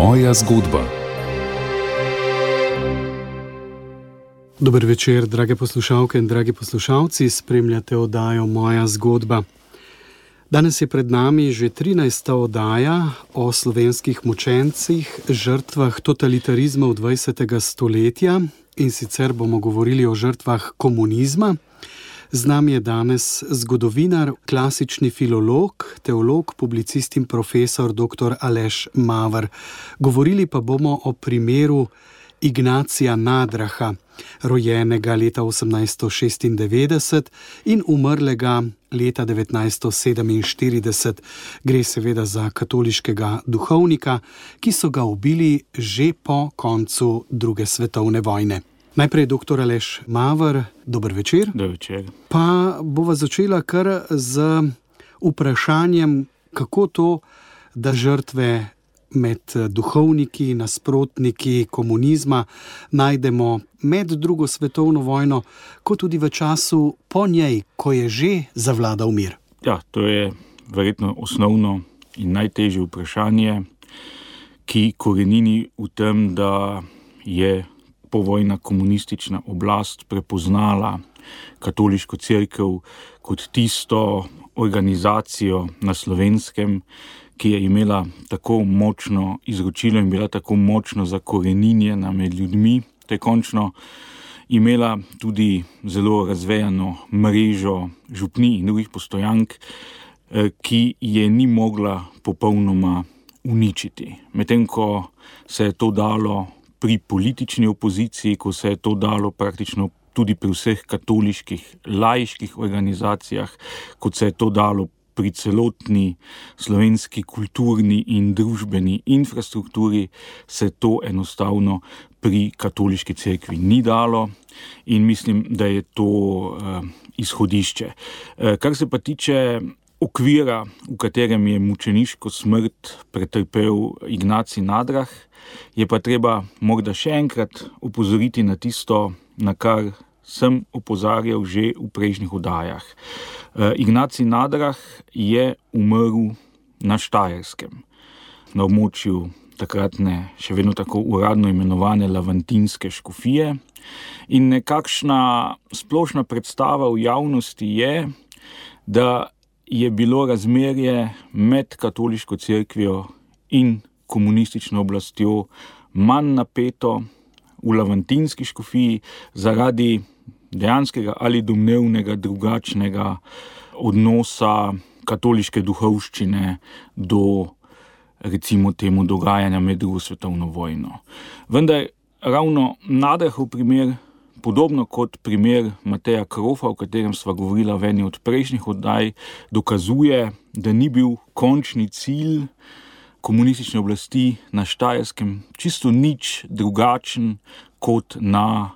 Moja zgodba. Dober večer, drage poslušalke in dragi poslušalci, spremljate oddajo Moja zgodba. Danes je pred nami že 13. oddaja o slovenskih mučencih, žrtvah totalitarizma v 20. stoletja, in sicer bomo govorili o žrtvah komunizma. Z nami je danes zgodovinar, klasični filolog, teolog, publicist in profesor dr. Aleš Maver. Govorili pa bomo o primeru Ignacija Nadraha, rojenega leta 1896 in umrlega leta 1947. Gre seveda za katoliškega duhovnika, ki so ga ubili že po koncu druge svetovne vojne. Najprej dr. Aleš Maver, dober večer. Dober večer. Pa bova začela kar z vprašanjem, kako to, da žrtve med duhovniki, nasprotniki komunizma najdemo med drugo svetovno vojno, kot tudi v času po njej, ko je že zavladal mir. Ja, to je verjetno osnovno in najtežje vprašanje, ki korenini v tem, da je povojna komunistična oblast prepoznala katoliško cerkev kot tisto organizacijo na Slovenskem, ki je imela tako močno izročilo in bila tako močno zakoreninjena med ljudmi, te končno imela tudi zelo razvejano mrežo župnij in drugih postojank, ki je ni mogla popolnoma uničiti. Medtem ko se je to dalo pri politični opoziciji, ko se je to dalo praktično tudi pri vseh katoliških laiških organizacijah, kot se je to dalo pri celotni slovenski kulturni in družbeni infrastrukturi, se to enostavno pri katoliški cerkvi ni dalo in mislim, da je to izhodišče. Kar se pa tiče okvira, v katerem je mučeniško smrt pretrpel Ignacij Nadrah, je pa treba morda še enkrat opozoriti na tisto, na kar sem opozarjal že v prejšnjih oddajah. Ignacij Nadrah je umrl na Štajerskem, na območju takratne, še vedno tako uradno imenovane Lavantinske škofije, in nekakšna splošna predstava v javnosti je, da je bilo razmerje med katoliško cerkvijo in komunistično oblastjo manj napeto v Lavantinski škofiji zaradi dejanskega ali domnevnega drugačnega odnosa katoliške duhovščine do, recimo temu, dogajanja med drugo svetovno vojno. Vendar ravno Nadrahov primer, podobno kot primer Mateja Krofa, o katerem sva govorila v eni od prejšnjih oddaj, dokazuje, da ni bil končni cilj komunistične oblasti na Štajerskem čisto nič drugačen kot na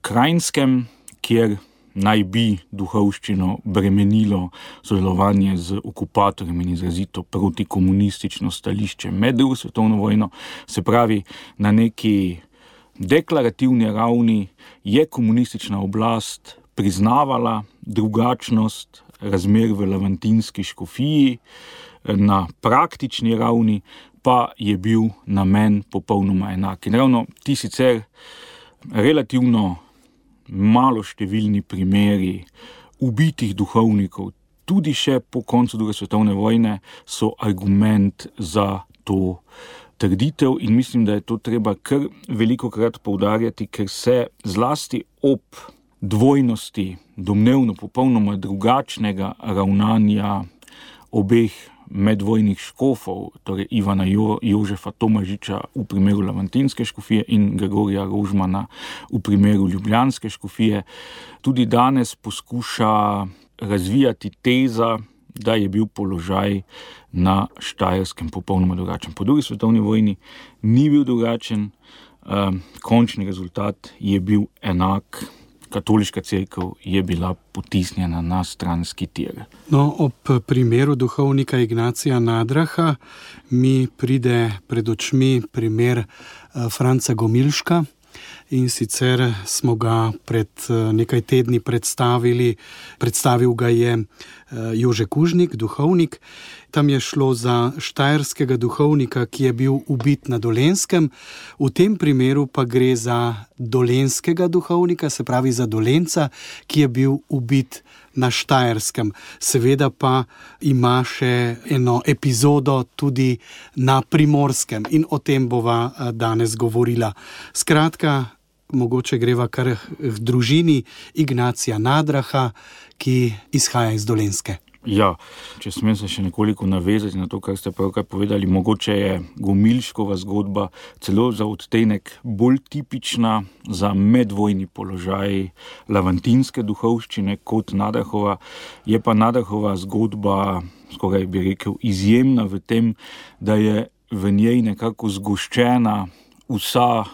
Kranjskem, kjer naj bi duhovščino bremenilo sodelovanje z okupatorjem in izrazito protikomunistično stališče med drugo svetovno vojno. Se pravi, na neki deklarativni ravni je komunistična oblast priznavala drugačnost razmer v Lavantinski škofiji, na praktični ravni pa je bil namen popolnoma enak. In ravno ti sicer relativno malo številni primeri ubitih duhovnikov, tudi še po koncu druge svetovne vojne, so argument za to trditev in mislim, da je to treba kar velikokrat poudarjati, ker se zlasti ob dvojnosti domnevno popolnoma drugačnega ravnanja obeh medvojnih škofov, torej Ivana Jožefa Tomažiča v primeru Lavantinske škofije in Gregorija Rožmana v primeru Ljubljanske škofije, tudi danes poskuša razvijati teza, da je bil položaj na Štajerskem popolnoma drugačen. Po drugi svetovni vojni ni bil drugačen, končni rezultat je bil enak. Katoliška cerkev je bila potisnjena na stranski tir. No, ob primeru duhovnika Ignacija Nadraha mi pride pred očmi primer Franca Gomilška, in sicer smo ga pred nekaj tedni predstavil ga je Jože Kužnik, duhovnik, tam je šlo za štajerskega duhovnika, ki je bil ubit na Dolenjskem. V tem primeru pa gre za dolenjskega duhovnika, se pravi za Dolenjca, ki je bil ubit na Štajerskem. Seveda pa ima še eno epizodo tudi na Primorskem in o tem bova danes govorila. Skratka, mogoče greva kar k družini Ignacija Nadraha, ki izhaja iz Dolenjske. Ja, če smem se še nekoliko navezati na to, kar ste pravkar povedali, mogoče je Gomilškova zgodba celo za odtenek bolj tipična za medvojni položaj lavantinske duhovščine kot Nadrahova. Je pa Nadrahova zgodba, skoraj bi rekel, izjemna v tem, da je v njej nekako zgoščena vsa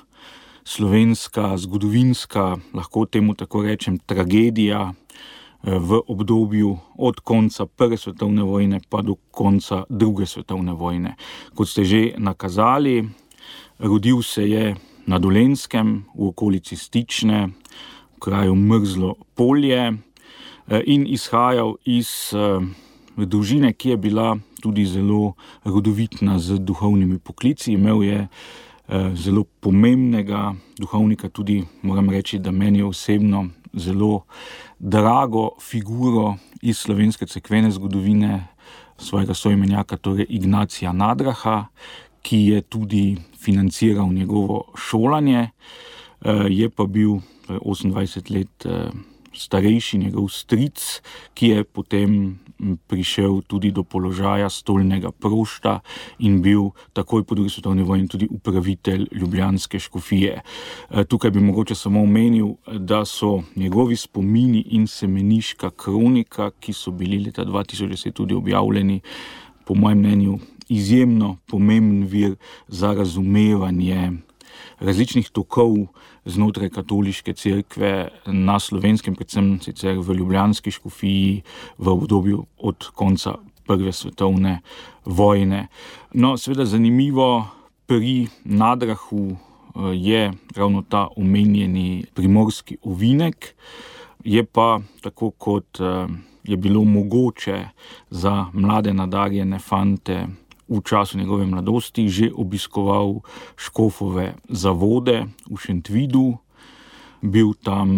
slovenska, zgodovinska, lahko temu tako rečem, tragedija v obdobju od konca Prve svetovne vojne pa do konca Druge svetovne vojne. Kot ste že nakazali, rodil se je na Dolenjskem, v okolici Stične, v kraju Mrzlo polje, in izhajal iz družine, ki je bila tudi zelo rodovitna z duhovnimi poklici. Imel je zelo pomembnega duhovnika, tudi moram reči, da meni osebno zelo drago figuro iz slovenske cerkvene zgodovine, svojega soimenjaka, torej Ignacija Nadraha, ki je tudi financiral njegovo šolanje. Je pa bil 28 let starejši njegov stric, ki je potem prišel tudi do položaja stolnega prošta in bil takoj po drugi svetovni vojni tudi upravitelj ljubljanske škofije. Tukaj bi mogoče samo omenil, da so njegovi spomini in semeniška kronika, ki so bili leta 2010 tudi objavljeni, po mojem mnenju izjemno pomemben vir za razumevanje različnih tokov znotraj katoliške cerkve na Slovenskem, predvsem sicer v ljubljanski škofiji v obdobju od konca Prve svetovne vojne. No, seveda zanimivo pri Nadrahu je ravno ta omenjeni primorski ovinek, je pa tako kot je bilo mogoče za mlade nadarjene fante v času njegove mladosti, že obiskoval škofove zavode v Šentvidu, bil tam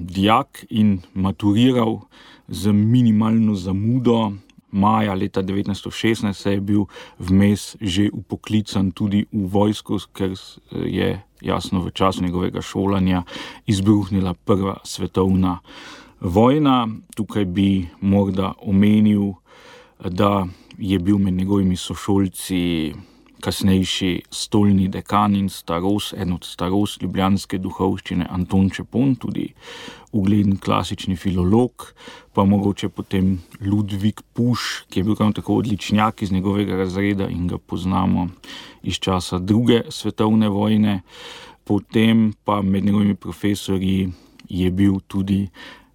dijak in maturiral z minimalno zamudo. Maja leta 1916 se je bil vmes že upoklican tudi v vojsko, ker je jasno v času njegovega šolanja izbruhnila Prva svetovna vojna. Tukaj bi morda omenil, da je bil med njegovimi sošolci kasnejši stolni dekan in eden od starost ljubljanske duhovščine Anton Čepon, tudi ugleden klasični filolog, pa mogoče potem Ludvik Puš, ki je bil tako odličnjak iz njegovega razreda in ga poznamo iz časa Druge svetovne vojne. Potem pa med njegovimi profesorji je bil tudi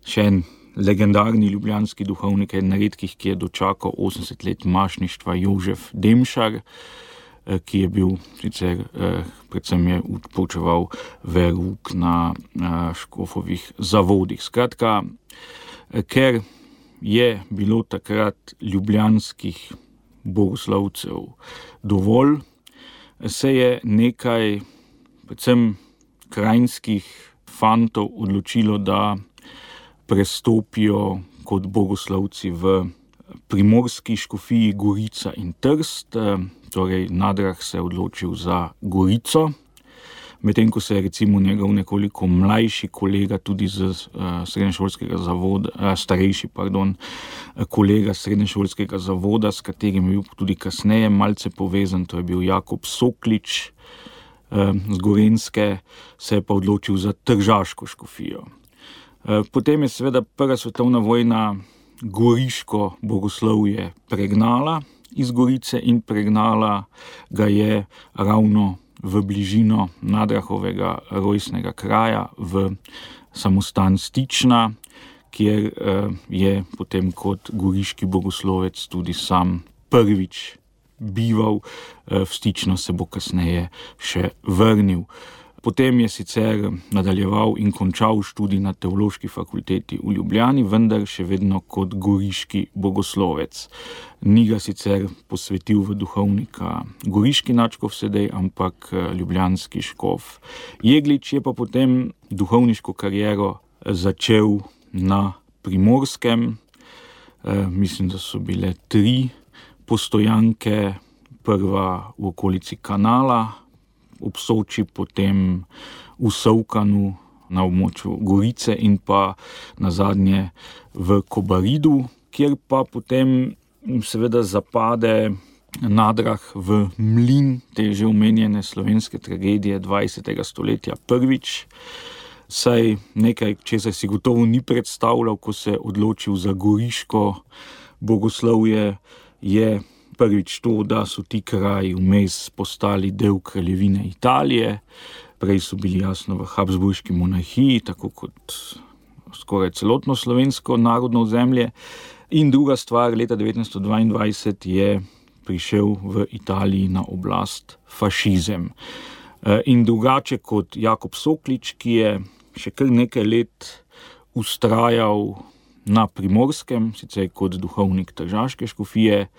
še en legendarni ljubljanski duhovnik, eden redkih, ki je dočakal 80 let mašništva, Jožef Demšar, ki je bil sicer, predvsem je poučeval verouk na škofovih zavodih. Skratka, ker je bilo takrat ljubljanskih bogoslovcev dovolj, se je nekaj, predvsem krajinskih fantov odločilo, da prestopijo kot bogoslovci v primorski škofiji Gorica in Trst, torej Nadrah se je odločil za Gorico, medtem ko se je recimo njegov nekoliko mlajši kolega tudi z srednješolskega zavoda, starejši, kolega srednješolskega zavoda, s katerim je bil tudi kasneje malce povezan, to je bil Jakob Soklič z Gorenjske, se je pa odločil za tržaško škofijo. Potem je seveda Prva svetovna vojna goriško bogoslovje pregnala iz Gorice in pregnala ga je ravno v bližino Nadrahovega rojstnega kraja v samostan Stična, kjer je potem kot goriški bogoslovec tudi sam prvič bival. V Stično se bo kasneje še vrnil. Potem je sicer nadaljeval in končal študij na Teološki fakulteti v Ljubljani, vendar še vedno kot goriški bogoslovec. Ni ga sicer posvetil v duhovnika goriški nadškof Sedej, ampak ljubljanski škof Jeglič. Je pa potem duhovniško kariero začel na Primorskem. Mislim, da so bile 3 postojanke, prva v okolici Kanala, ob Soči, potem v Sovkanu na območju Gorice in pa nazadnje v Kobaridu, kjer pa potem seveda zapade nadrah v mlin te že omenjene slovenske tragedije 20. stoletja prvič. Saj nekaj, česar si gotovo ni predstavljal, ko se je odločil za goriško bogoslovje, je prvič to, da so ti kraji vmes postali del kraljevine Italije. Prej so bili jasno v Habsburški monarhiji, tako kot skoraj celotno slovensko narodno ozemlje. In druga stvar, leta 1922 je prišel v Italiji na oblast fašizem. In drugače kot Jakob Soklič, ki je še kar nekaj let vztrajal na Primorskem, sicer kot duhovnik tržaške škofije,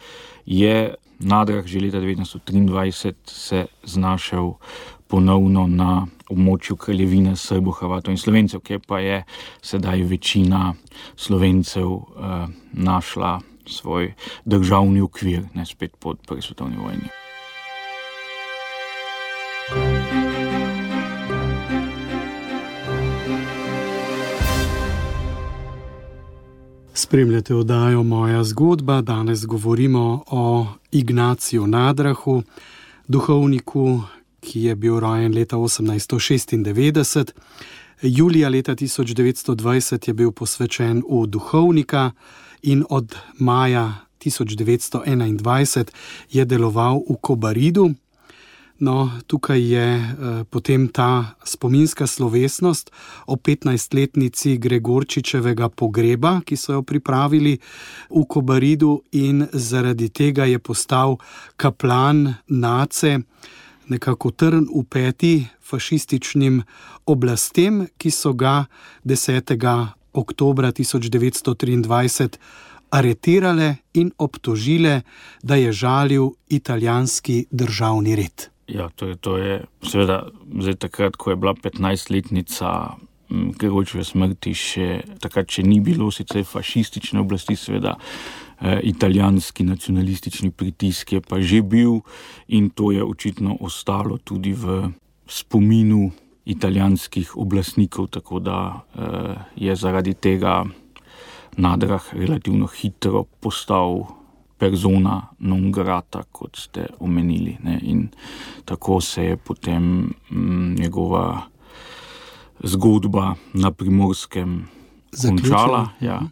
je Nadrah že leta 1923 se znašel ponovno na območju kraljevine Srbov, Hrvatov in Slovencev, kjer pa je sedaj večina Slovencev našla svoj državni okvir, ne spet po prvi svetovni vojni. Spremljate oddajo Moja zgodba. Danes govorimo o Ignaciju Nadrahu, duhovniku, ki je bil rojen leta 1896. Julija leta 1920 je bil posvečen v duhovnika in od maja 1921 je deloval v Kobaridu. No, tukaj je potem ta spominska slovesnost o 15-letnici Gregorčičevega pogreba, ki so jo pripravili v Kobaridu, in zaradi tega je postal kaplan Nace, nekako trn v peti fašističnim oblastem, ki so ga 10. oktobra 1923 aretirale in obtožile, da je žalil italijanski državni red. Ja, to je seveda zdaj takrat, ko je bila 15-letnica Gregorčičeve smrti, takrat še ni bilo sicer fašistične oblasti, seveda italijanski nacionalistični pritisk je pa že bil, in to je očitno ostalo tudi v spominu italijanskih oblastnikov, tako da je zaradi tega Nadrah relativno hitro postal persona non grata, kot ste omenili, ne? In tako se je potem njegova zgodba na Primorskem končala. Ja.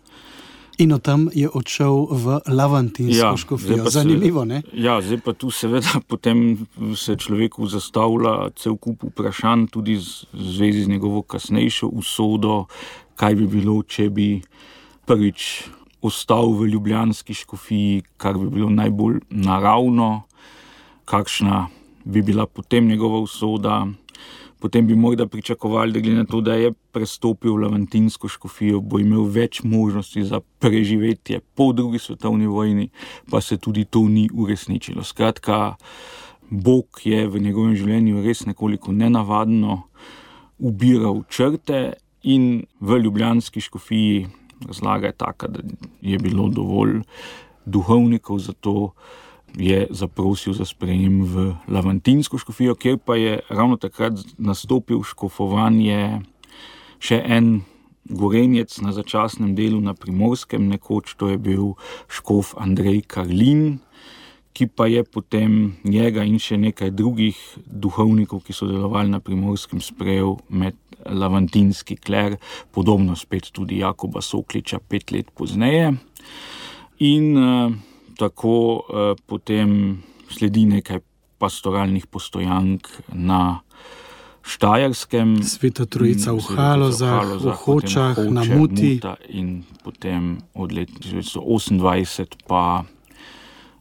In od tam je odšel v Lavantinsko škofijo. Zanimivo, ne? Ja, zdaj pa tu seveda potem se človeku zastavlja cel kup vprašanj, tudi v zvezi z njegovo kasnejšo usodo, kaj bi bilo, če bi prvič ostal v ljubljanski škofiji, kar bi bilo najbolj naravno, kakšna bi bila potem njegova usoda. Potem bi morda pričakovali, da glede na to, da je prestopil v Lavantinsko škofijo, bo imel več možnosti za preživetje po drugi svetovni vojni, pa se tudi to ni uresničilo. Skratka, Bog je v njegovem življenju res nekoliko nenavadno ubiral črte in v ljubljanski škofiji razlaga je taka, da je bilo dovolj duhovnikov, zato je zaprosil za sprejem v Lavantinsko škofijo, kjer pa je ravno takrat nastopil škofovanje še en gorenjec na začasnem delu na Primorskem, nekoč to je bil škof Andrej Karlin, ki pa je potem njega in še nekaj drugih duhovnikov, ki so delovali na Primorskem, sprejel med lavantinski kler, podobno spet tudi Jakoba Sokliča 5 let pozneje. In tako potem sledi nekaj pastoralnih postojank na Štajerskem. Sveta Trojica v Halozah, v Hočah, na Muti. In potem od leta 1928 pa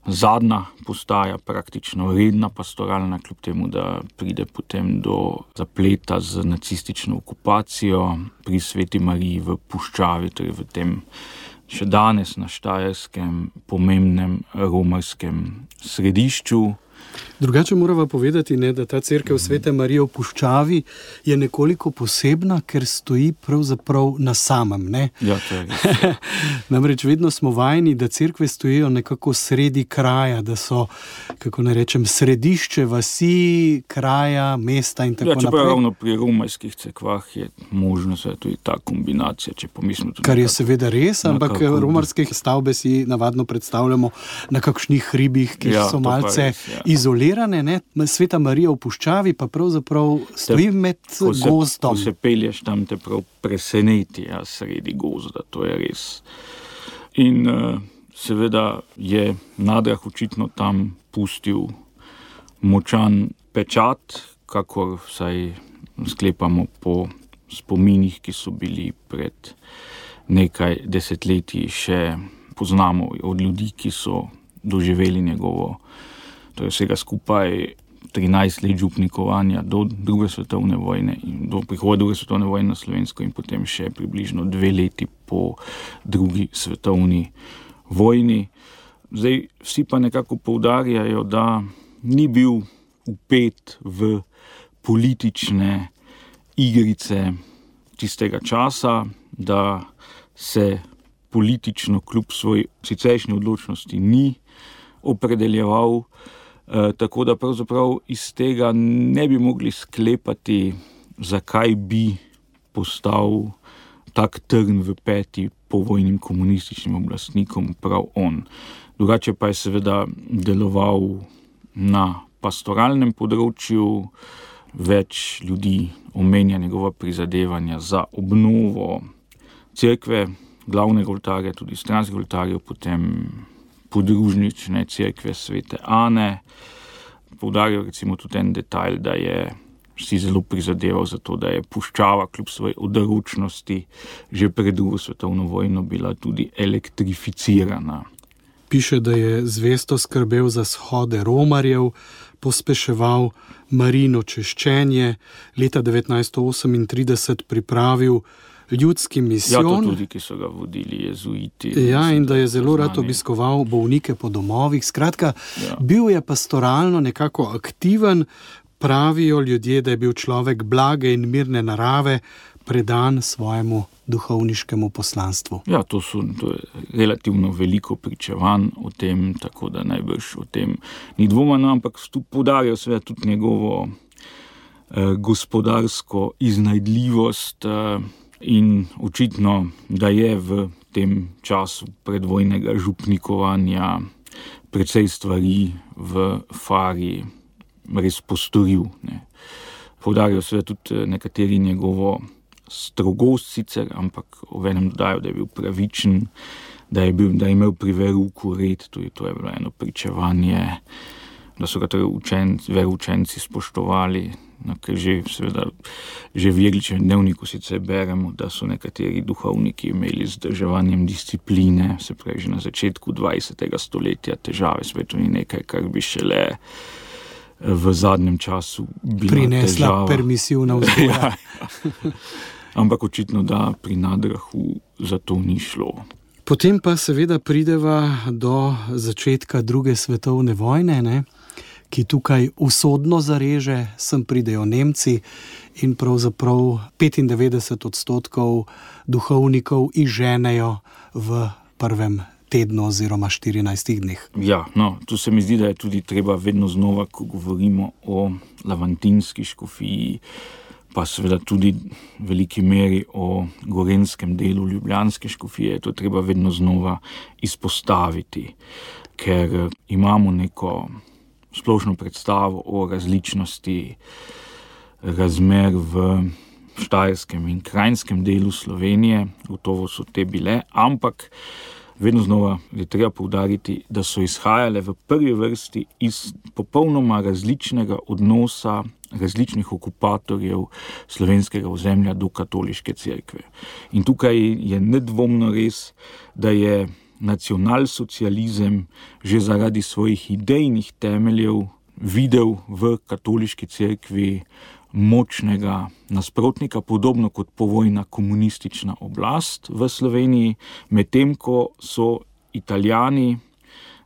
zadnja postaja, praktično redna pastoralna, kljub temu, da pride potem do zapleta z nacistično okupacijo pri Sveti Mariji v Puščavi, torej v tem še danes na Štajerskem pomembnem romarskem središču. Drugače morava povedati, ne, da ta cerkev Svete Marije v Puščavi je nekoliko posebna, ker stoji pravzaprav na samem. Ne? Ja, to je res. Namreč vedno smo vajeni, da cerkve stojijo nekako sredi kraja, da so, kako ne rečem, središče vasi, kraja, mesta in tako naprej. Čeprav ravno pri romarskih cerkvah je možno tudi ta kombinacija, če pomislimo tudi. Kar je seveda res, ampak romarske stavbe si navadno predstavljamo na kakšnih hribih, ki so malce izolirane, ne? Sveta Marija v Puščavi pa pravzaprav stoji med gozdom. Ko se pelješ tam, te prav preseneti, sredi gozda, to je res. In seveda je Nadrah očitno tam pustil močan pečat, kakor vsaj sklepamo po spominih, ki so bili pred nekaj desetletji še poznamo od ljudi, ki so doživeli njegovo, to je vsega skupaj 13 let župnikovanja do druge svetovne vojne in do prihoda druge svetovne vojne na Slovensko in potem še približno 2 leti po drugi svetovni vojni. Zdaj, vsi pa nekako poudarjajo, da ni bil vpet v politične igrice tistega časa, da se politično kljub svoji siceršnji odločnosti ni opredeljeval, tako da pravzaprav iz tega ne bi mogli sklepati, zakaj bi postal tak trn v peti povojnim komunističnim oblastnikom prav on. Drugače pa je seveda deloval na pastoralnem področju, več ljudi omenja njegova prizadevanja za obnovo cerkve, glavnega oltarja, tudi stranskih oltarjev, potem podružnične cerkve Svete Ane. Poudarjajo recimo tudi en detajl, da je si zelo prizadeval za to, da je Puščava kljub svoji odročnosti že pred drugo svetovno vojno bila tudi elektrificirana. Piše, da je zvesto skrbel za shode romarjev, pospeševal Marijino češčenje, leta 1938 pripravil ljudski misijon. Ja, to tudi, ki so ga vodili jezuiti. Ja, in da je zelo rad obiskoval bolnike po domovih. Skratka, bil je pastoralno nekako aktiven, pravijo ljudje, da je bil človek blage in mirne narave, predan svojemu duhovniškemu poslanstvu. Ja, to je relativno veliko pričevanj o tem, tako da najbrž o tem ni dvoma, ampak tu poudarjajo seveda tudi njegovo gospodarsko iznajdljivost, in očitno, da je v tem času predvojnega župnikovanja precej stvari v Fari res postoril. Poudarjajo seveda tudi nekateri njegovo strogost sicer, ampak obenem dodajo, da je bil pravičen, da je imel pri verouku red, tudi to je bilo eno pričevanje, da so ga veroučenci spoštovali. Ker že v Jegličevem dnevniku sicer beremo, da so nekateri duhovniki imeli z vzdrževanjem discipline, se pravi že na začetku 20. stoletja težave, svetu ni nekaj, kar bi šele v zadnjem času bila prinesla težava. Permisivna vzgoja. Ampak očitno, da pri Nadrahu za to ni šlo. Potem pa seveda prideva do začetka druge svetovne vojne, ne? Ki tukaj usodno zareže, sem pridejo Nemci in pravzaprav 95% duhovnikov izženejo v prvem tednu oziroma 14 dneh. Ja, tu se mi zdi, da je tudi treba vedno znova, ko govorimo o lavantinski škofiji, pa seveda tudi v veliki meri o gorenskem delu ljubljanske škofije, to je treba vedno znova izpostaviti, ker imamo neko splošno predstavo o različnosti razmer v štajerskem in krajnskem delu Slovenije, gotovo so te bile, ampak vedno znova je treba poudariti, da so izhajale v prvi vrsti iz popolnoma različnega odnosa različnih okupatorjev slovenskega ozemlja do katoliške cerkve. In tukaj je nedvomno res, da je nacionalsocializem že zaradi svojih idejnih temeljev videl v katoliški cerkvi močnega nasprotnika, podobno kot povojna komunistična oblast v Sloveniji, medtem ko so Italijani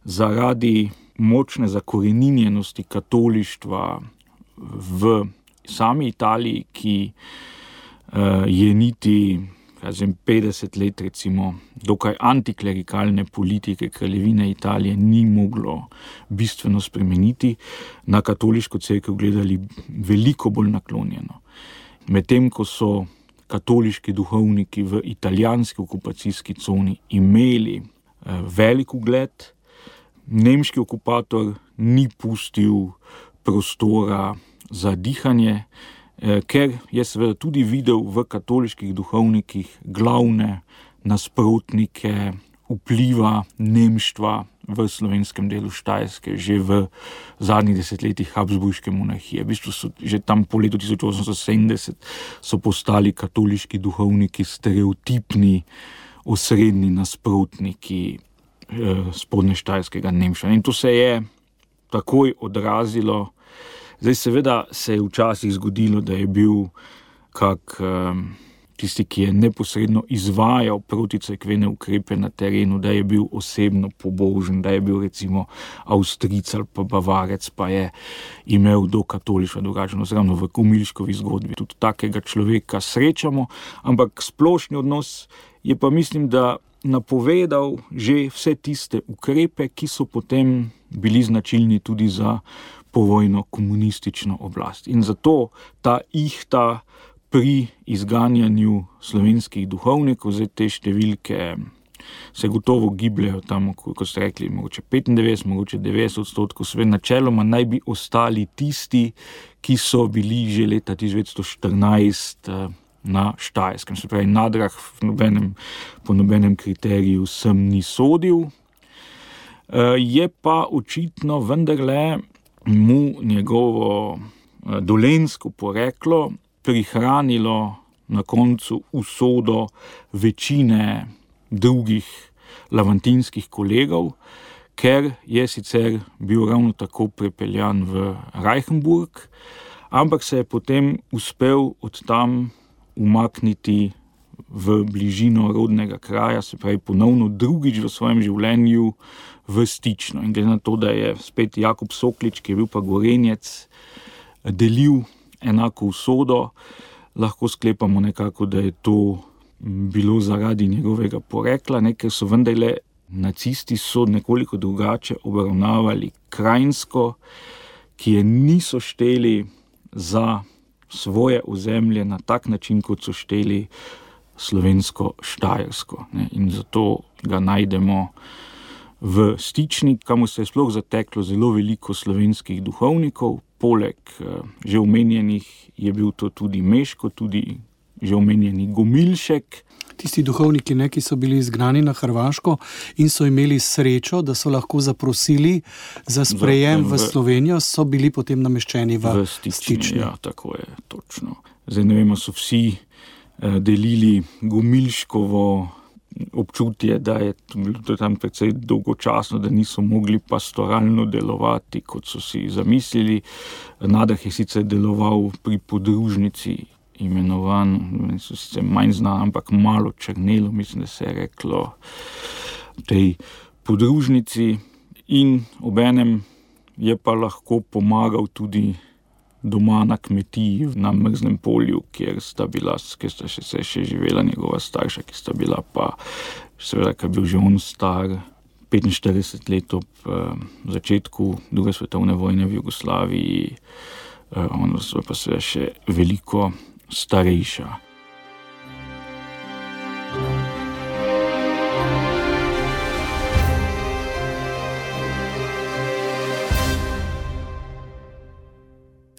zaradi močne zakoreninjenosti katolištva v sami Italiji, ki je niti 50 let recimo dokaj antiklerikalne politike kraljevine Italije ni moglo bistveno spremeniti, na katoliško cerkev gledali veliko bolj naklonjeno. Medtem ko so katoliški duhovniki v italijanski okupacijski coni imeli velik ugled, nemški okupator ni pustil prostora za dihanje, ker je seveda tudi videl v katoliških duhovnikih glavne nasprotnike vpliva nemštva v slovenskem delu Štajerske že v zadnjih desetletjih Habsburške monarhije. V bistvu so že tam po letu 1870 so postali katoliški duhovniki stereotipni osrednji nasprotniki spodnještajerskega nemštva. In to se je takoj odrazilo. Zdaj seveda se je včasih zgodilo, da je bil tisti, ki je neposredno izvajal proticerkvene ukrepe na terenu, da je bil osebno pobožen, da je bil recimo Avstrijec ali pa Bavarec, pa je imel do katolištva drugačno. Ravno v Gomilškovi zgodbi tudi takega človeka srečamo, ampak splošni odnos je pa, mislim, da napovedal že vse tiste ukrepe, ki so potem bili značilni tudi za povojno komunistično oblast. In zato ta ihta pri izganjanju slovenskih duhovnikov, zdaj te številke se gotovo gibljajo tam, kot ste rekli, mogoče 95, mogoče 90%, sve načeloma naj bi ostali tisti, ki so bili že leta 1914 na Štajerskem. Se pravi, Nadrah po nobenem kriteriju sem ni sodil. Je pa očitno vendarle mu njegovo dolenjsko poreklo prihranilo na koncu usodo večine drugih lavantinskih kolegov, ker je sicer bil ravno tako prepeljan v Reichenburg, ampak se je potem uspel od tam umakniti v bližino rodnega kraja, se pravi ponovno drugič v svojem življenju v Stično. In glede na to, da je spet Jakob Soklič, ki je bil pa Gorenjec, delil enako usodo, lahko sklepamo nekako, da je to bilo zaradi njegovega porekla, ker so vendarle nacisti so nekoliko drugače obravnavali Krajinsko, ki je niso šteli za svoje ozemlje na tak način, kot so šteli slovensko Štajersko. In zato ga najdemo v Stični, kamor se je sploh zateklo zelo veliko slovenskih duhovnikov. Poleg že omenjenih je bil to tudi Meško, tudi že omenjeni Gomilšek. Tisti duhovniki, ki so bili izgnani na Hrvaško in so imeli srečo, da so lahko zaprosili za sprejem v Slovenijo, so bili potem nameščeni v Stični. Ja, tako je, točno. Zdaj ne vemo, so vsi delili Gomilškovo občutje, da je bilo tam precej dolgočasno, da niso mogli pastoralno delovati, kot so si zamislili. Nadah je sicer deloval pri podružnici, imenovan, so sicer manj znan, ampak malo Črnelo, mislim, da se je reklo tej podružnici, in obenem je pa lahko pomagal tudi doma na kmetiji na Mrznem polju, kjer sta še živela njegova starša, ki sta bila pa, seveda, ker je bil že on star 45 let ob začetku druge svetovne vojne v Jugoslaviji, ona pa seveda še veliko starejša.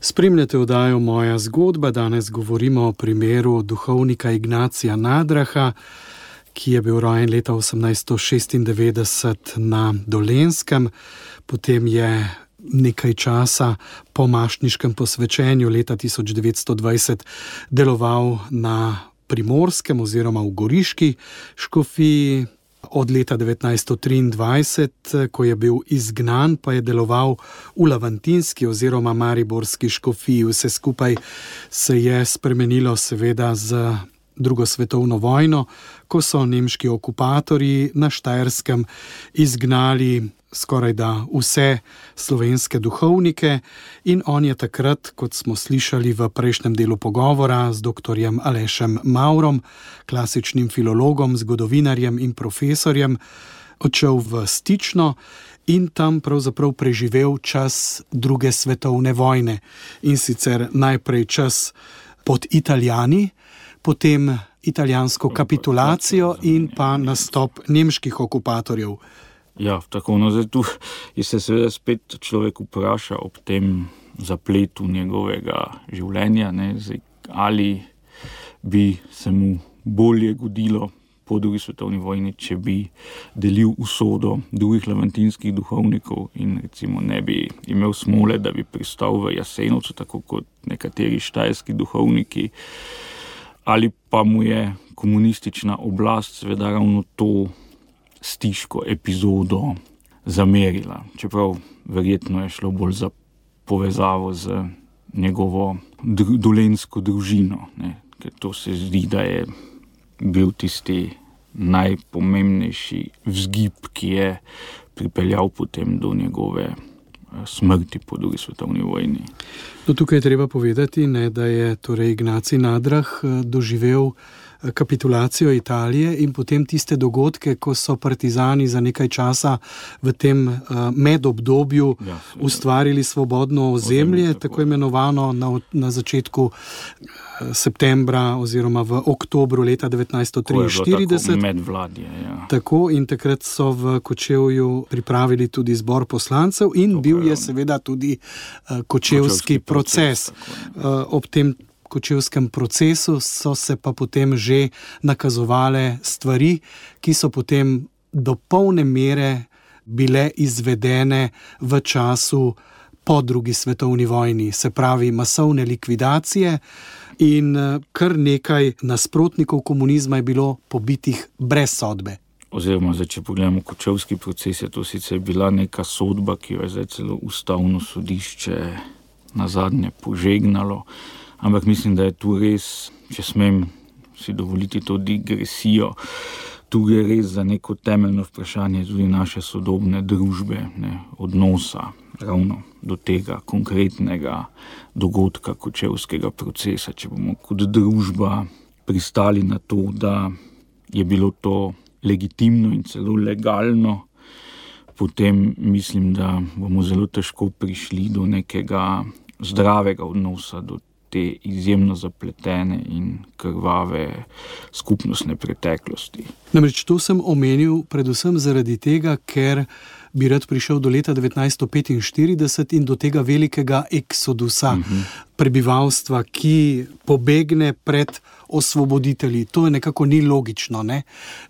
Spremljate oddajo Moja zgodba. Danes govorimo o primeru duhovnika Ignacija Nadraha, ki je bil rojen leta 1896 na Dolenjskem. Potem je nekaj časa po mašniškem posvečenju leta 1920 deloval na Primorskem oziroma v Goriški škofiji. Od leta 1923, ko je bil izgnan, pa je deloval v Lavantinski oziroma Mariborski škofiji. Vse skupaj se je spremenilo seveda z drugo svetovno vojno, ko so nemški okupatorji na Štajerskem izgnali skorajda vse slovenske duhovnike in on je takrat, kot smo slišali v prejšnjem delu pogovora z doktorjem Alešem Maurom, klasičnim filologom, zgodovinarjem in profesorjem, odšel v Stično in tam pravzaprav preživel čas druge svetovne vojne. In sicer najprej čas pod Italijani, potem italijansko kapitulacijo in pa nastop nemških okupatorjev. Ja, tako, zdaj tu je se seveda spet človek vpraša ob tem zapletu njegovega življenja, zdaj, ali bi se mu bolje godilo po drugi svetovni vojni, če bi delil usodo drugih lavantinskih duhovnikov in recimo ne bi imel smole, da bi pristal v Jasenovcu, tako kot nekateri štajerski duhovniki, ali pa mu je komunistična oblast seveda ravno to stiško epizodo zamerila. Čeprav verjetno je šlo bolj za povezavo z njegovo dolenjsko družino, ker to se zdi, da je bil tisti najpomembnejši vzgib, ki je pripeljal potem do njegove smrti po drugi svetovni vojni. Tukaj je treba povedati, da je torej Ignacij Nadrah doživel kapitulacijo Italije in potem tiste dogodke, ko so partizani za nekaj časa v tem medobdobju ustvarili svobodno ozemlje, tako imenovano na začetku septembra oziroma v oktobru leta 1943. Medvladje, Tako, in takrat so v Kočevju pripravili tudi zbor poslancev in bil je seveda tudi kočevski proces. Ob tem kočevskem procesu so se pa potem že nakazovale stvari, ki so potem do polne mere bile izvedene v času po drugi svetovni vojni, se pravi masovne likvidacije in kar nekaj nasprotnikov komunizma je bilo pobitih brez sodbe. Oziroma, če pogledamo kočevski proces, je to sicer bila neka sodba, ki jo je zdaj celo ustavno sodišče nazadnje požegnalo, ampak mislim, da je tu res, če smem si dovoliti to digresijo, tu gre res za neko temeljno vprašanje tudi naše sodobne družbe, odnosa ravno do tega konkretnega dogodka kočevskega procesa. Če bomo kot družba pristali na to, da je bilo to legitimno in celo legalno, potem mislim, da bomo zelo težko prišli do nekega zdravega odnosa do te izjemno zapletene in krvave skupnostne preteklosti. Namreč to sem omenil predvsem zaradi tega, ker bi rad prišel do leta 1945 in do tega velikega eksodusa prebivalstva, ki pobegne pred osvoboditelji. To je nekako ni logično,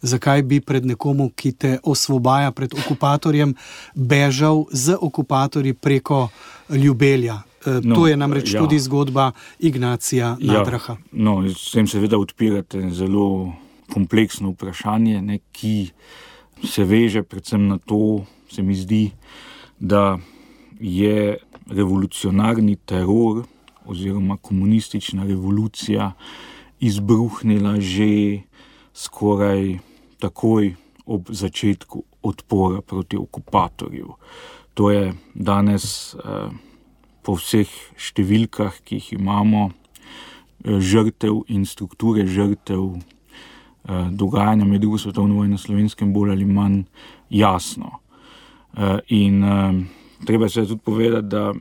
Zakaj bi pred nekomu, ki te osvobaja pred okupatorjem, bežal z okupatorji preko Ljubelja? To je namreč tudi zgodba Ignacija Nadraha. S tem seveda odpirate zelo kompleksno vprašanje, ki se veže predvsem na to, se mi zdi, da je revolucionarni teror oziroma komunistična revolucija izbruhnila že skoraj takoj ob začetku odpora proti okupatorju. To je danes po vseh številkah, ki jih imamo, žrtev in strukture žrtev dogajanja med drugo svetovno vojno na Slovenskem bolj ali manj jasno. In treba se tudi povedati, da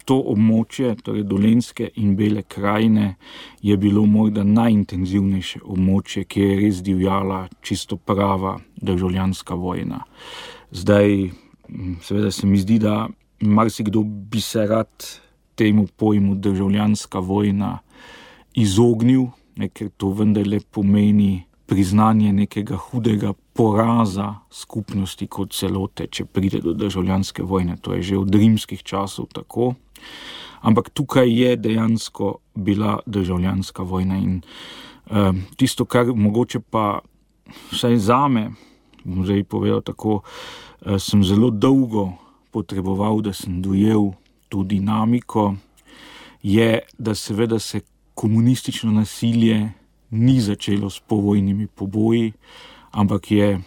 to območje, torej Dolenjske in Bele krajine, je bilo morda najintenzivnejše območje, kjer je res divjala čisto prava državljanska vojna. Zdaj, seveda se mi zdi, da marsikdo bi se rad temu pojmu državljanska vojna izognil, ker to vendarle pomeni priznanje nekega hudega poraza skupnosti kot celote, če pride do državljanske vojne. To je že od rimskih časov tako. Ampak tukaj je dejansko bila državljanska vojna in tisto, kar mogoče pa vsaj zame bom zdaj povedal tako, sem zelo dolgo potreboval, da sem dojel to dinamiko, je, da seveda se komunistično nasilje ni začelo s povojnimi poboji, ampak je,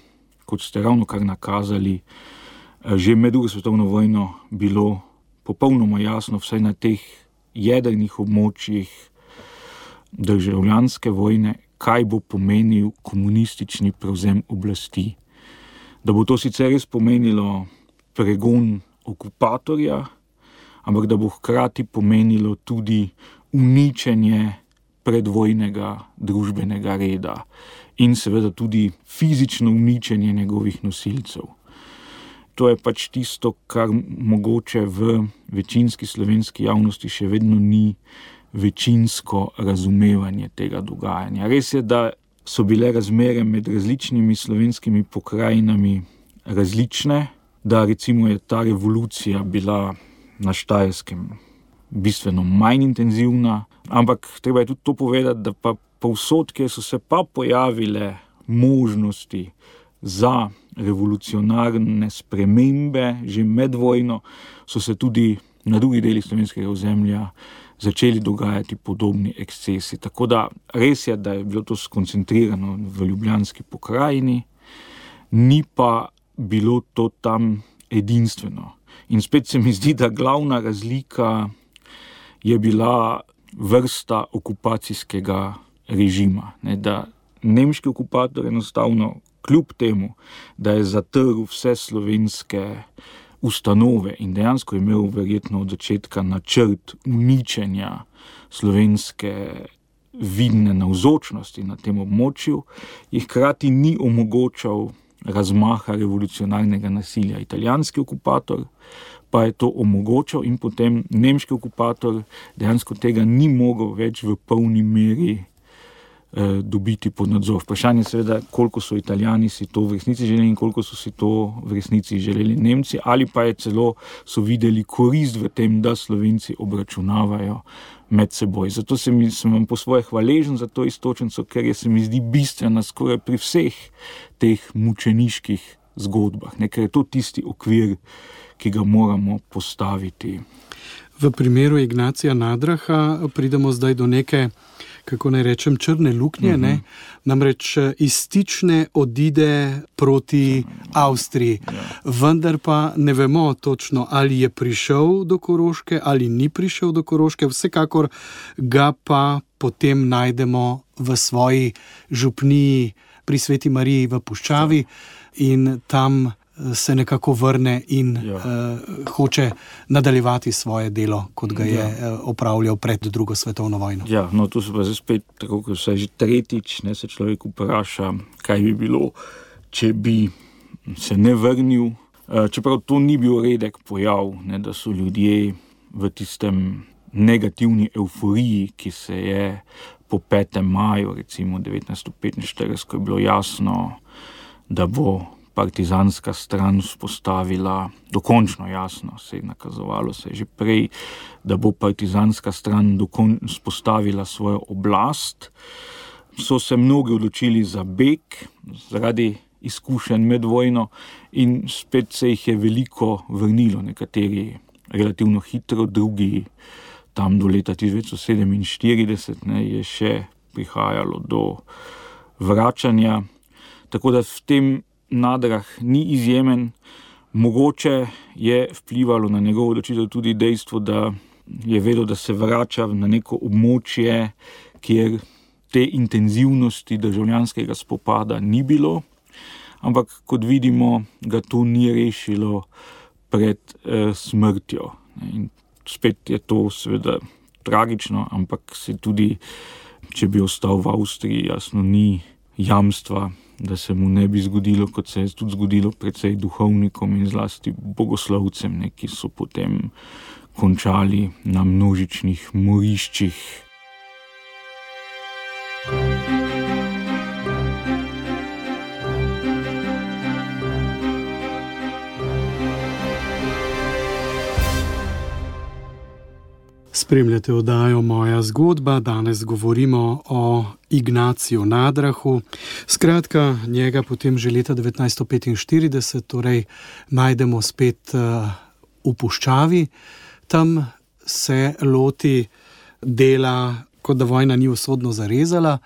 kot ste ravno kar nakazali, že med drugo svetovno vojno bilo popolnoma jasno, vsaj na teh jedrnih območjih državljanske vojne, kaj bo pomenil komunistični prevzem oblasti. Da bo to sicer res pomenilo pregon okupatorja, ampak da bo hkrati pomenilo tudi uničenje predvojnega družbenega reda in seveda tudi fizično uničenje njegovih nosilcev. To je pač tisto, kar mogoče v večinski slovenski javnosti še vedno ni večinsko razumevanje tega dogajanja. Res je, da so bile razmere med različnimi slovenskimi pokrajinami različne, da recimo je ta revolucija bila na Štajerskem bistveno manj intenzivna, ampak treba je tudi to povedati, da pa povsod, kjer so se pa pojavile možnosti za revolucionarne spremembe že med vojno, so se tudi na drugih delih slovenskega ozemlja začeli dogajati podobni ekscesi. Tako da res je, da je bilo to skoncentrirano v ljubljanski pokrajini, ni pa bilo to tam edinstveno. In spet se mi zdi, da glavna razlika je bila vrsta okupacijskega režima. Da nemški okupator enostavno kljub temu, da je zatrl vse slovenske ustanove in dejansko imel verjetno od začetka načrt uničenja slovenske vidne navzočnosti na tem območju, jih hkrati ni omogočal razmaha revolucionarnega nasilja. Italijanski okupator pa je to omogočal in potem nemški okupator dejansko tega ni mogel več v polni meri dobiti pod nadzor. Vprašanje seveda, koliko so Italijani si to v resnici želeli in koliko so si to v resnici želeli Nemci, ali pa je celo so videli korist v tem, da Slovenci obračunavajo med seboj. Zato sem vam po svoje hvaležen za to istočnico, ker je se mi zdi bistvena skoraj pri vseh teh mučeniških zgodbah, ker je to tisti okvir, ki ga moramo postaviti. V primeru Ignacija Nadraha pridemo zdaj do neke, kako naj rečem, črne luknje, namreč iz Stične odide proti Avstriji, vendar pa ne vemo točno, ali je prišel do Koroške ali ni prišel do Koroške, vsekakor ga pa potem najdemo v svoji župniji pri Sveti Mariji v Puščavi in tam se nekako vrne in hoče nadaljevati svoje delo, kot ga je opravljal pred drugo svetovno vojno. Ja, no tu se pa zdaj spet, tako kot se že tretjič, se človek vpraša, kaj bi bilo, če bi se ne vrnil. Čeprav to ni bil redek pojav, da so ljudje v tistem negativni euforiji, ki se je po 5. maju, recimo 1945, ko je bilo jasno, da bo partizanska stran vzpostavila, dokončno jasno, se je nakazovalo se že prej, da bo partizanska stran vzpostavila svojo oblast, so se mnogi odločili za beg zaradi izkušenj med vojno in spet se jih je veliko vrnilo, nekateri relativno hitro, drugi tam do leta 1947 je še prihajalo do vračanja. Tako da v tem Nadrah ni izjemen. Mogoče je vplivalo na njegovo odločitev tudi dejstvo, da je vedel, da se vrača na neko območje, kjer te intenzivnosti državljanskega spopada ni bilo, ampak kot vidimo, ga to ni rešilo pred smrtjo. In spet je to seveda tragično, ampak se tudi, če bi ostal v Avstriji, jasno ni jamstva, da se mu ne bi zgodilo, kot se je tudi zgodilo precej duhovnikom in zlasti bogoslovcem, ki so potem končali na množičnih moriščih. Spremljate oddajo Moja zgodba, danes govorimo o Ignaciju Nadrahu. Skratka, njega potem že leta 1945, torej najdemo spet v puščavi. Tam se loti dela, kot da vojna ni usodno zarezala,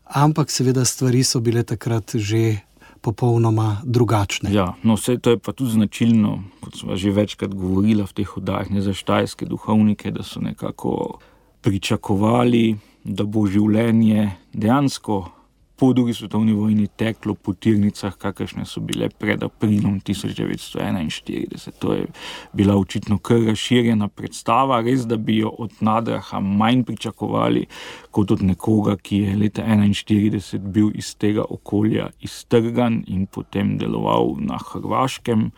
ampak seveda stvari so bile takrat že popolnoma drugačne. Ja, no vse to je pa tudi značilno, kot smo že večkrat govorila v teh oddajah, ne, za štajerske duhovnike, da so nekako pričakovali, da bo življenje dejansko po drugi svetovni vojni teklo po tirnicah, kakršne so bile pred aprilom 1941. To je bila očitno kar razširjena predstava, res da bi jo od Nadraha manj pričakovali kot od nekoga, ki je leta 1941 bil iz tega okolja iztrgan in potem deloval na Hrvaškem.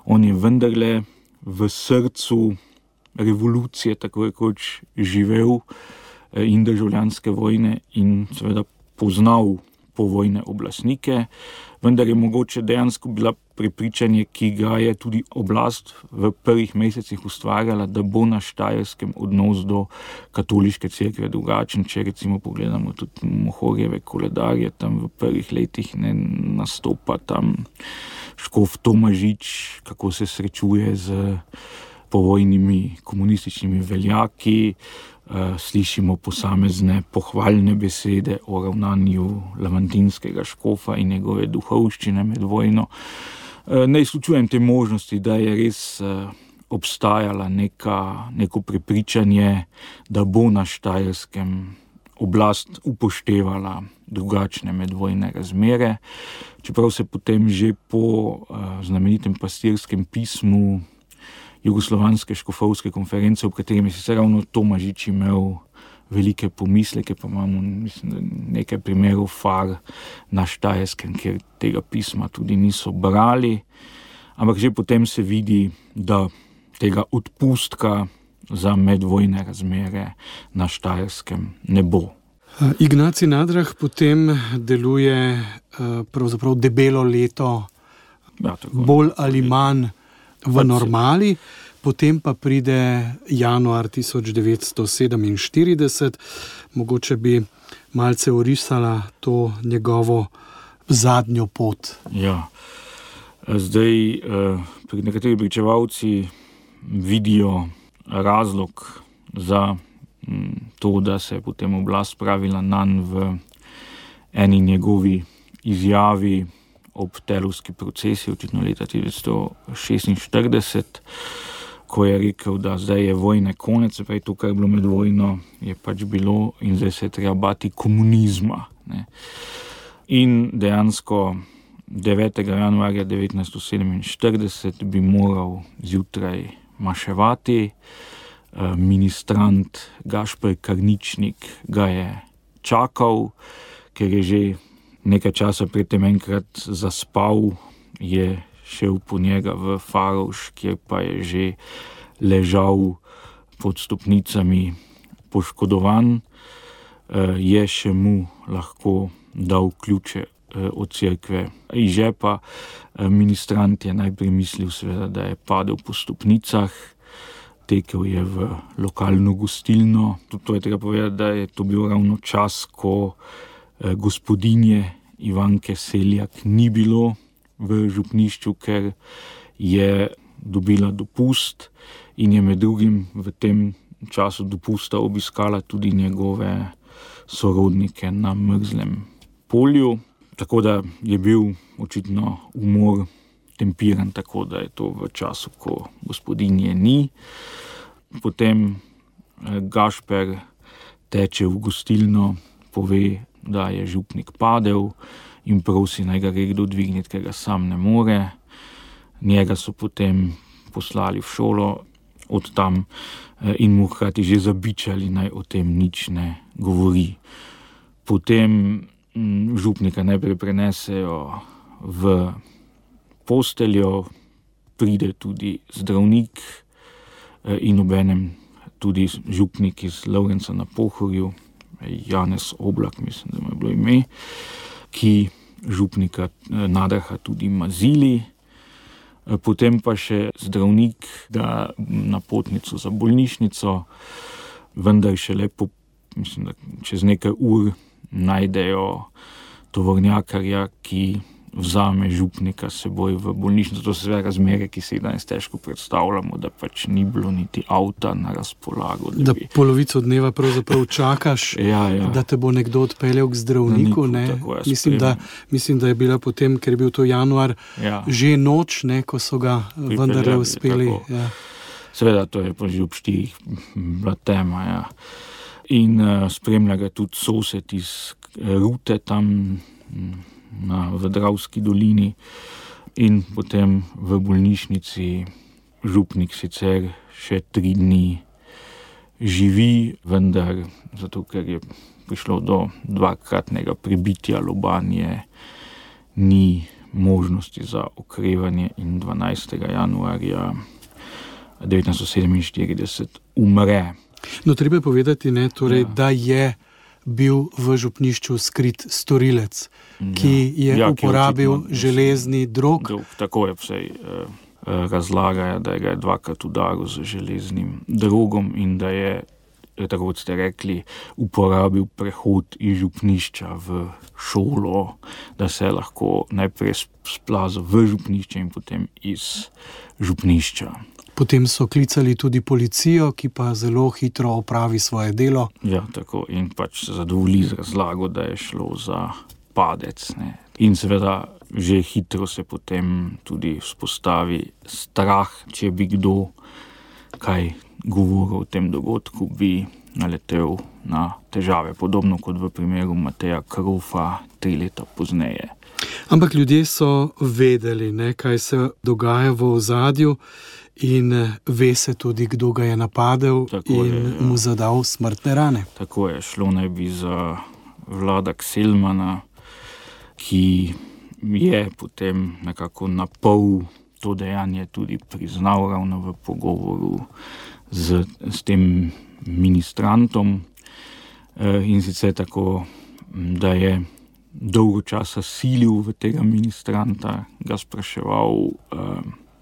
On je vendarle v srcu revolucije tako rekoč živel in državljanske vojne in seveda poznal povojne oblastnike, vendar je mogoče dejansko bila prepričanje, ki ga je tudi oblast v prvih mesecih ustvarjala, da bo na Štajerskem odnos do katoliške cerkve drugačen. Če recimo pogledamo tudi Mohorjeve koledarje, tam v prvih letih ne nastopa tam škof Tomažič, kako se srečuje z povojnimi komunističnimi veljaki, slišimo posamezne pohvalne besede o ravnanju lamantinskega škofa in njegove duhovščine med vojno. Ne izključujem te možnosti, da je res obstajala neko prepričanje, da bo na Štajerskem oblast upoštevala drugačne medvojne razmere, čeprav se potem že po znamenitem pastirskem pismu Jugoslovanske škofovske konference, v katerem je sicer ravno Tomažič imel velike pomisleke, pa imamo nekaj primerov far na Štajerskem, kjer tega pisma tudi niso brali, ampak že potem se vidi, da tega odpustka za medvojne razmere na Štajerskem ne bo. Ignacij Nadrah potem deluje pravzaprav debelo leto, bolj ali manj v normali, potem pa pride januar 1947, mogoče bi malce orisala to njegovo zadnjo pot. Ja, zdaj nekateri pričevalci vidijo razlog za to, da se je potem oblast spravila nanj v eni njegovi izjavi ob telovski procesi, očitno leta 1946, ko je rekel, da zdaj je vojne konec, se pravi to, kar je bilo med vojno, je pač bilo in zdaj se je treba bati komunizma. Ne. In dejansko 9. januarja 1947 bi moral zjutraj maševati. Ministrant Gašper Karničnik ga je čakal, ker je že nekaj časa predtem enkrat zaspal, je šel po njega v Faroš, kjer pa je že ležal pod stopnicami poškodovan. Je še mu lahko dal ključe od cerkve iz žepa. Ministrant je najprej mislil seveda, da je padel po stopnicah, tekel je v lokalno gostilno. Tudi to je treba povedati, da je to bil ravno čas, ko gospodinje Ivanke Seljak ni bilo v župnišču, ker je dobila dopust in je med drugim v tem času dopusta obiskala tudi njegove sorodnike na Mrzlem polju. Tako da je bil očitno umor tempiran, tako da je to v času, ko gospodinje ni. Potem Gašper teče v gostilno, pove, da je župnik padel in prosi, naj ga kdo dvigniti, ker ga sam ne more. Njega so potem poslali v šolo od tam in mu hkrati že zabičali, naj o tem nič ne govori. Potem župnika najprej prenesejo v posteljo, pride tudi zdravnik in obenem tudi župnik iz Lovrenca na Pohorju, Janez Oblak, mislim, da mu je bilo ime, ki župnika Nadraha tudi mazili. Potem pa še zdravnik ga napotnico za bolnišnico vendar šele mislim, da čez nekaj ur najdejo tovornjakarja, ki vzame župnika s seboj v bolnišnico. To so sve razmere, ki se jih danes težko predstavljamo, da pač ni bilo niti avta na razpolago. Da polovico dneva pravzaprav čakaš, da te bo nekdo odpeljal k zdravniku. Mislim, da je bila potem, ker je bil to januar, že noč, ko so ga vendarle uspeli. Ja. Seveda, to je pa že ob 4 bila tema. In spremlja ga tudi sosed iz Rute tam v Dravski dolini in potem v bolnišnici župnik sicer še 3 dni živi, vendar zato, ker je prišlo do 2-kratnega pribitja lobanje, ni možnosti za okrevanje in 12. januarja 1947 umre. No, treba je povedati, da je bil v župnišču skrit storilec, ki je uporabil železni drog. Tako je vsej razlagajo, da ga je 2-krat udaril z železnim drogom in da je, tako kot ste rekli, uporabil prehod iz župnišča v šolo, da se je lahko najprej splazil v župnišče in potem iz župnišča. Potem so klicali tudi policijo, ki pa zelo hitro opravi svoje delo. Ja, tako, in pač se zadovolji z razlago, da je šlo za padec. In seveda že hitro se potem tudi vzpostavi strah, če bi kdo kaj govoril o tem dogodku, bi naletel na težave, podobno kot v primeru Mateja Krofa 3 leta pozneje. Ampak ljudje so vedeli, kaj se dogaja v ozadju, in ve se tudi, kdo ga je napadel mu zadal smrtne rane. Tako je, šlo naj bi za Vlada Kselmana, ki je potem nekako napol to dejanje tudi priznal ravno v pogovoru s tem ministrantom. In sicer tako, da je dolgo časa silil v tega ministranta, ga spraševal,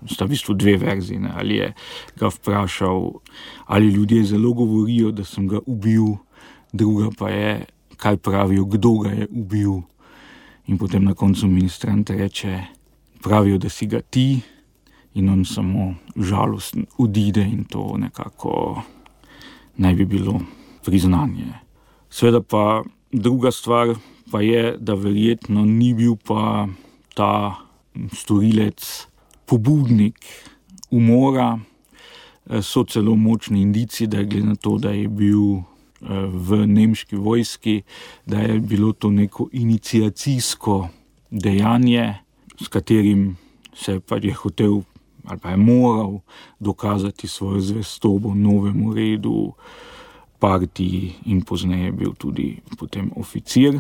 sta v bistvu 2 verzije, ali je ga vprašal, ali ljudje zelo govorijo, da sem ga ubil, druga pa je, kaj pravijo, kdo ga je ubil. In potem na koncu ministrant reče, pravijo, da si ga ti, in on samo žalosten odide in to nekako naj bi bilo priznanje. Seveda pa druga stvar pa je, da verjetno ni bil pa ta storilec pobudnik umora. So celo močni indici, da je glede na to, da je bil v nemški vojski, da je bilo to neko iniciacijsko dejanje, s katerim se pa je hotel ali pa je moral dokazati svojo zvestobo novemu redu, partiji in pozneje bil tudi potem oficir.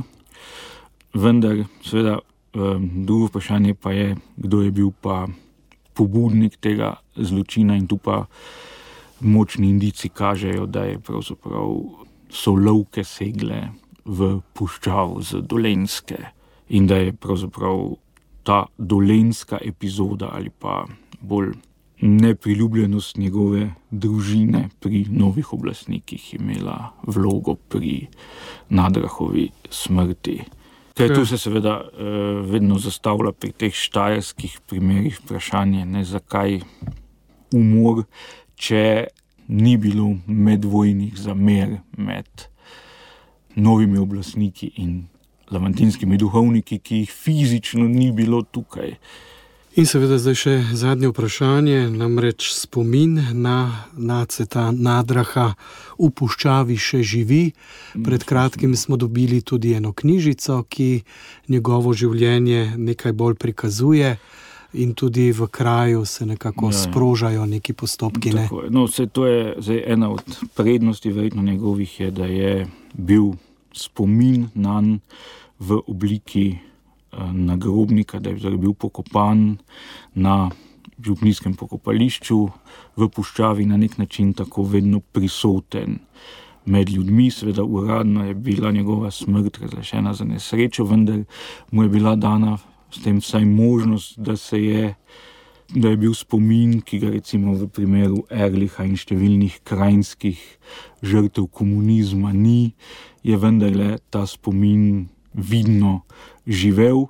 Vendar seveda drugo vprašanje pa je, kdo je bil pa pobudnik tega zločina, in tu pa močni indici kažejo, da je pravzaprav so lovke segle v puščavo z Dolenjske in da je pravzaprav ta dolenjska epizoda ali pa bolj nepriljubljenost njegove družine pri novih oblastnikih imela vlogo pri Nadrahovi smrti. Ker tu se seveda vedno zastavlja pri teh štajerskih primerih vprašanje, zakaj umor, če ni bilo medvojnih zamer med novimi oblastniki in lamantinskimi duhovniki, ki jih fizično ni bilo tukaj. In seveda zdaj še zadnje vprašanje, namreč spomin na Naceta Nadraha v puščavi še živi. Pred kratkim smo dobili tudi eno knjižico, ki njegovo življenje nekaj bolj prikazuje in tudi v kraju se nekako sprožajo neki postopki. Tako je. No, to je zdaj ena od prednosti verjetno njegovih je, da je bil spomin nanj v obliki nagrobnika, da je bil pokopan na župnijskem pokopališču v puščavi, na nek način tako vedno prisoten med ljudmi. Seveda uradno je bila njegova smrt razglašena za nesrečo, vendar mu je bila dana s tem vsaj možnost, da se je da je bil spomin, ki ga recimo v primeru Ehrlicha in številnih krajinskih žrtev komunizma ni, je vendarle ta spomin vidno živel.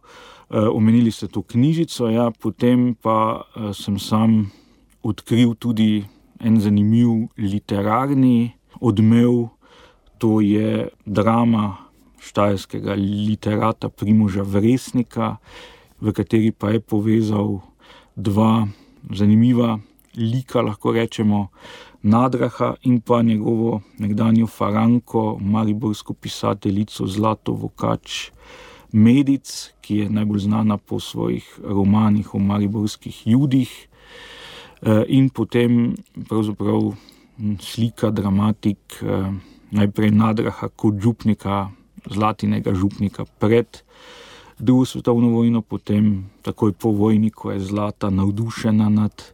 Omenili ste to knjižico, ja, potem pa sem sam odkril tudi en zanimiv literarni odmev, to je drama štajerskega literata Primoža Vresnika, v kateri pa je povezal dva zanimiva lika, lahko rečemo, Nadraha in pa njegovo nekdanjo faranko, mariborsko pisateljico Zlato Vokač Medic, ki je najbolj znana po svojih romanih o mariborskih Judih, in potem pravzaprav slika, dramatik najprej Nadraha kot župnika, Zlatinega župnika pred drugo svetovno vojno, potem takoj po vojni, ko je Zlata navdušena nad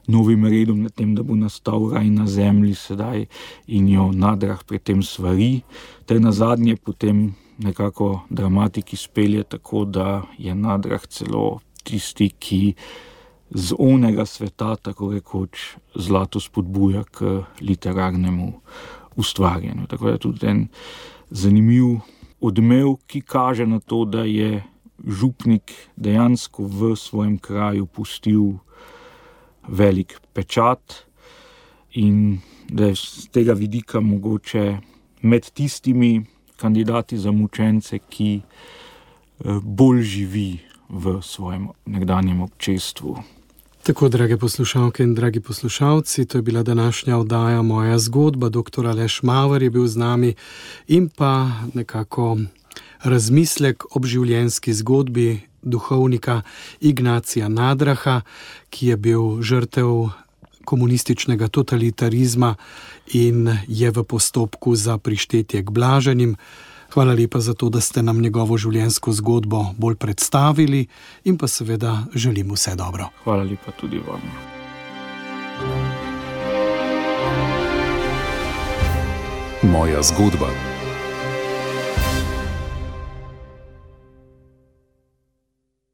novim redom, nad tem, da bo nastal raj na zemlji sedaj, in jo Nadrah pred tem svari, ter nazadnje potem nekako dramatik izpelje tako, da je Nadrah celo tisti, ki z onega sveta, tako rekoč, Zlato spodbuja k literarnemu ustvarjanju. Tako je tudi en zanimiv odmev, ki kaže na to, da je župnik dejansko v svojem kraju pustil velik pečat in da je z tega vidika mogoče med tistimi kandidati za mučence, ki bolj živi v svojem nekdanjem občestvu. Tako, drage poslušalke in dragi poslušalci, to je bila današnja oddaja Moja zgodba. Dr. Aleš Maver je bil z nami in pa nekako razmislek ob življenjski zgodbi duhovnika Ignacija Nadraha, ki je bil žrtev komunističnega totalitarizma in je v postopku za prištetje k blaženim. Hvala lepa za to, da ste nam njegovo življenjsko zgodbo bolj predstavili in pa seveda želim vse dobro. Hvala lepa tudi vam. Moja zgodba.